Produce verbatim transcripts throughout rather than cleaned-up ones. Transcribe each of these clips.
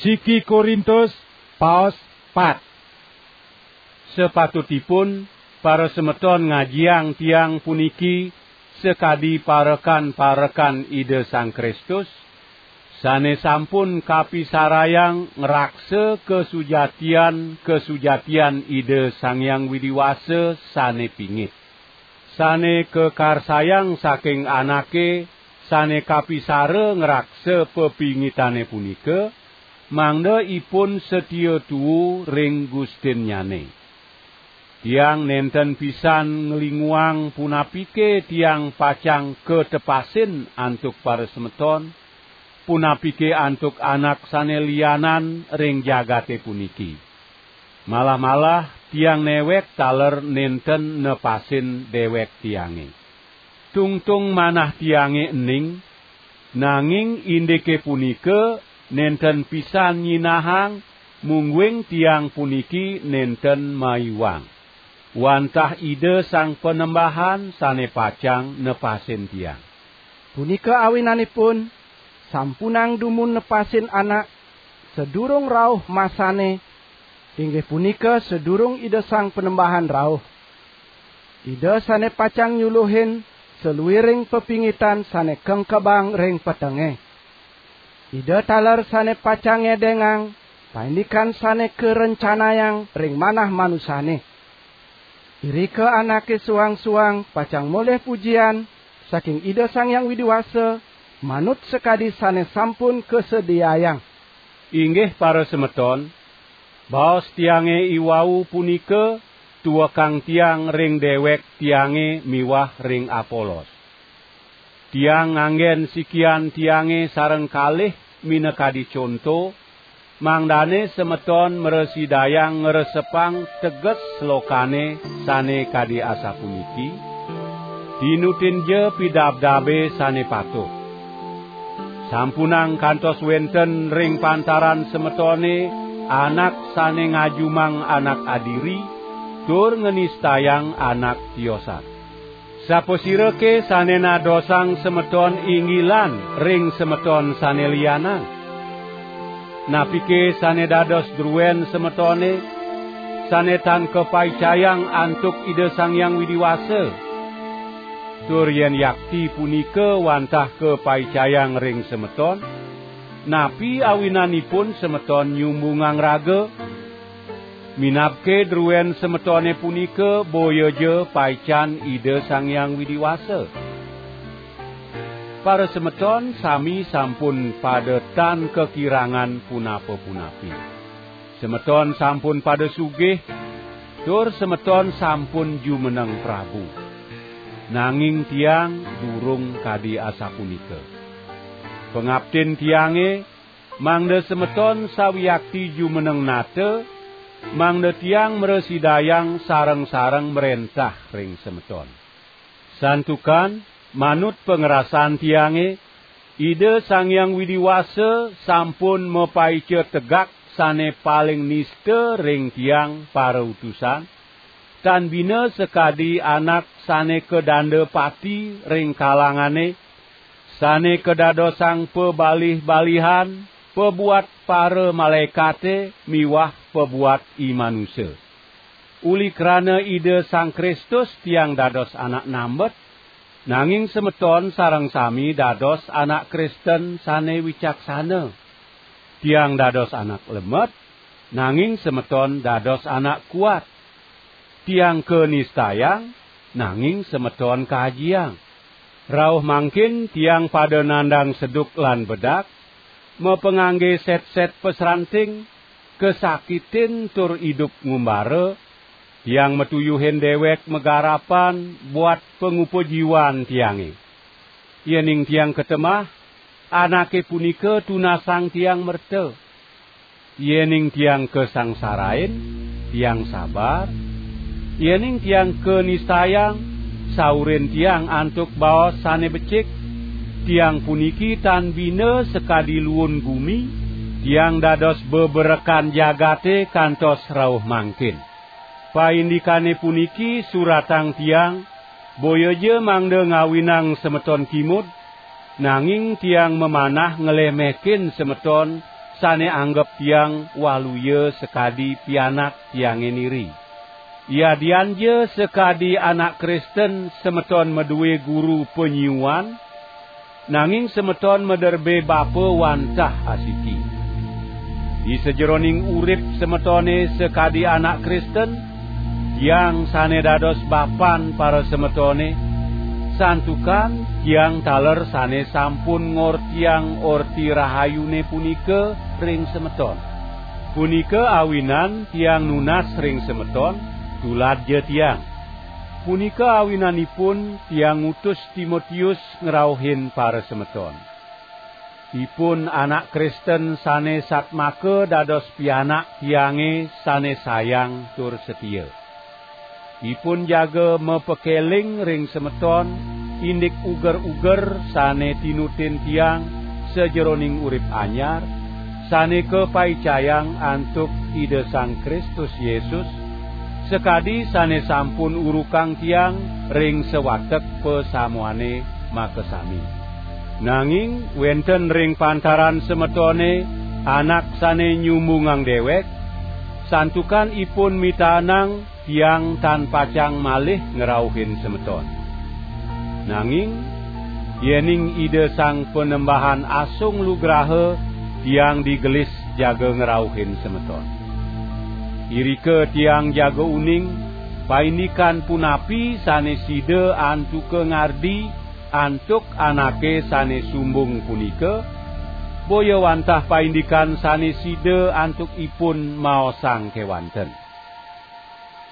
Siki Korintus, paos pat. Sapatutipun parasemeton ngajiang tiang puniki sakadi parekan-parekan Ida Sang Kristus, sane sampun kapisarayang ngraksa kasujatian-kasujatian Ida Sang Hyang Widi Wasa sane pingit. Sane kakarsayang saking anake sane kapisara ngraksa pepingitane punika, mangda ipun satia tuu ring gustinnyane. Tiang nenten pisan nglinguang punapike tiang pacang katepasin antuk parasemeton, punapike antuk anak sane lianan ring jagate puniki. Malah-malah tiang newek taler nenten nepasin dewek tiange. Tungtung manah tiange ening, nanging indike punika nenten pisan nyinahang, mungguing tiang puniki nenten maiwang. Wantah Ida Sang Panembahan sane pacang nepasin tiang. Punika awinanipun, sampunang dumun nepasin anak, sadurung rauh masane, inggih punika sadurung Ida Sang Panembahan rauh. Ida sane pacang nyuluhin saluiring pepingitan sane kengkebang ring petenge. Ida taler sane pacang ngedengang paindikan sane karencanayang ring manah manusane. Irika anake suang-suang pacang molih pujian saking Ida Sang Hyang Widi Wasa, manut sakadi sane sampun kasediayang. Inggih parasemeton, baos tiange iwau punika tuekang tiang ring dewek tiange miwah ring Apolos. Tiang nganggen sikian tiange sareng kalih minakadi conto, mangdane semeton mrasidayang ngresepang teges slokane sane kadi asapuniki: "Tinutinja pidabdabe sane patut." Sampunang kantos wenten ring pantaran semetone anak sane ngajumang anak adiri, tur nganistayang anak tiosan. Sapasirake sane nadosang semeton inggilan ring semeton sane lianan? Napike sane dados druen semetone, sane tan kapaicayang antuk Ida Sang Hyang Widi Wasa? Tur yen yakti punika wantah kapaicayang ring semeton, napi awinanipun semeton nyumbungang raga? Minabke druen semetone punika boyaja paican Ida Sang Hyang Widi Wasa. Parasemeton sami sampun pada tan kakirangan punapa-punapi. Semeton sampun pada sugih, tur semeton sampun jumeneng prabu. Nanging tiang durung kadi asapunika. Pangaptin tiange, mangda semeton sawiakti jumeneng nata, mangda tiang mrasidayang sareng-sareng mrentah ring semeton. Santukan, manut pangrasan tiange, Ida Sang Hyang Widi Wasa sampun mapaica tegak sane paling nista ring tiang parautusan, tan bina sakadi anak sane kadanda pati ring kalangane, sane kadadosang pabalih-balihan pabuat para malaekate miwah pabuat i manusa. Uli krana Ida Sang Kristus tiang dados anak nambet, nanging semeton sareng sami dados anak Kristen sane wicaksana. Tiang dados anak lemet, nanging semeton dados anak kuat. Tiang kanistayang, nanging semeton kaajiang. Rauh mangkin tiang pada nandang seduk lan bedak, mapangangge set-set pasranting, kasakitin tur idup ngumbara, tiang matuyuhin dewek magarapan buat pangupa jiwan tiange. Yening tiang katemah, anake punika tunasang tiang merta. Yening tiang kasangsarain, tiang sabar. Yening tiang kanistayang, saurin tiang antuk baos sane becik. Tiang puniki tan bina sakadi luun gumi, tiang dados beberekan jagate kantos rauh mangkin. Paindikane puniki suratang tiang, boyaja mangda ngawinang semeton kimud, nanging tiang mamanah nglemekin semeton sane anggep tiang waluya sakadi pianak tiange niri. Yadianja sakadi anak Kristen semeton madue guru panyiuan, nanging semeton maderbe bapa wantah asiki. Di sajeroning urip semetone sakadi anak Kristen, tiang sane dados bapan para semetone, santukan tiang taler sane sampun ngortiang Orti Rahayune punika ring semeton. Punika awinan tiang nunas ring semeton, tuladja tiang. Punika awinanipun tiang ngutus Timotius ngrauhin para semeton. Ipun anak Kristen sane satmaka dados pianak tiange sane sayang tur setia. Ipun jaga mapakeling ring semeton, indik uger-uger sane tinutin tiang sajeroning urip anyar, sane kapaicayang antuk Ida Sang Kristus Yesus, sakadi sane sampun urukang tiang ring sawatek pasamuane makasami. Nanging wenten ring pantaran semetone anak sane nyumbungang dewek, santukan ipun mitaenang tiang tan pacang malih ngrauhin semeton. Nanging yening Ida Sang Panembahan asung lugraha, tiang digelis jaga ngrauhin semeton. Irika tiang jaga uning, paindikan punapi sane sida antuka ngardi antuk anake sane sumbung punika, boya wantah paindikan sane sida antuk ipun maosang kewanten.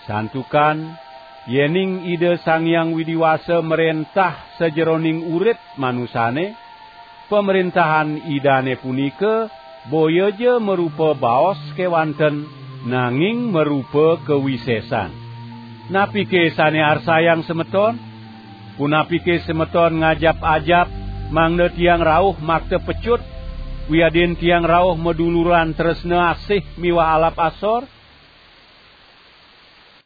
Santukan, yening Ida Sang Hyang Widi Wasa mrentah sajeroning urip manusane, pamrentahan Idane punika boyaja marupa baos kewanten, nanging marupa kawisesan. Napike sane arsayang semeton? Punapike semeton ngajap-ajap mangda tiang rauh makta pecut, wiadin tiang rauh maduluran tresna asih miwah alap asor?